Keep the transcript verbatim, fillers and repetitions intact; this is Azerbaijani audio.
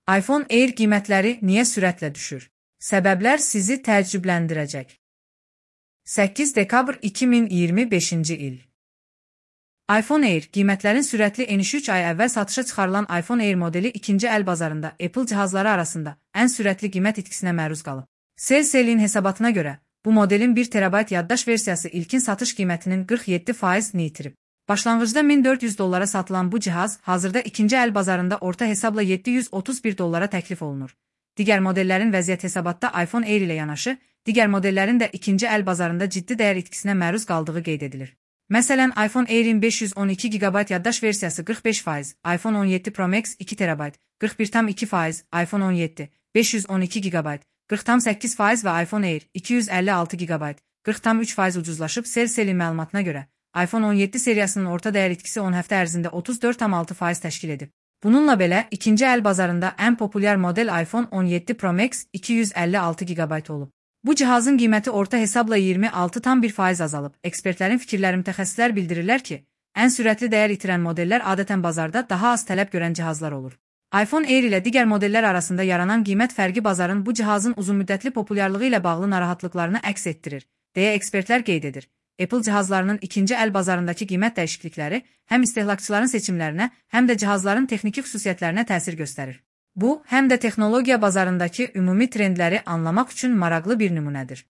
iPhone Air qiymətləri niyə sürətlə düşür? Səbəblər sizi təəccübləndirəcək. səkkiz dekabr iki min iyirmi beşinci il. iPhone Air qiymətlərin sürətli enişi üç ay əvvəl satışa çıxarılan iPhone Air modeli ikinci əl bazarında Apple cihazları arasında ən sürətli qiymət itkisinə məruz qalıb. Sell.Selling hesabatına görə, bu modelin bir terabayt yaddaş versiyası ilkin satış qiymətinin qırx yeddi faizini itirib. Başlanğıcda min dörd yüz dollara satılan bu cihaz hazırda ikinci əl bazarında orta hesabla yeddi yüz otuz bir dollara təklif olunur. Digər modellərin vəziyyət hesabatda iPhone Air ilə yanaşı, digər modellərin də ikinci əl bazarında ciddi dəyər itkisinə məruz qaldığı qeyd edilir. Məsələn, iPhone Air'in beş yüz on iki giqabayt yaddaş versiyası qırx beş faiz, iPhone on yeddi Pro Max iki terabayt, qırx bir tam iki faiz, iPhone on yeddi, beş yüz on iki giqabayt, qırx tam səkkiz faiz və iPhone Air iki yüz əlli altı giqabayt, qırx tam üç faiz ucuzlaşıb. Sell.Selling məlumatına görə, iPhone on yeddi seriyasının orta dəyər itkisi on həftə ərzində otuz dörd tam altı faiz təşkil edib. Bununla belə, ikinci əl bazarında ən populyar model iPhone on yeddi Pro Max iki yüz əlli altı giqabayt olub. Bu cihazın qiyməti orta hesabla iyirmi altı tam bir faiz azalıb. Ekspertlərin fikirləri mütəxəssislər bildirirlər ki, ən sürətli dəyər itirən modellər adətən bazarda daha az tələb görən cihazlar olur. iPhone Air ilə digər modellər arasında yaranan qiymət fərqi bazarın bu cihazın uzunmüddətli populyarlığı ilə bağlı narahatlıqlarını əks etdirir, deyə ekspertlər qeyd edir. Apple cihazlarının ikinci əl bazarındakı qiymət dəyişiklikləri həm istehlakçıların seçimlərinə, həm də cihazların texniki xüsusiyyətlərinə təsir göstərir. Bu, həm də texnologiya bazarındakı ümumi trendləri anlamaq üçün maraqlı bir nümunədir.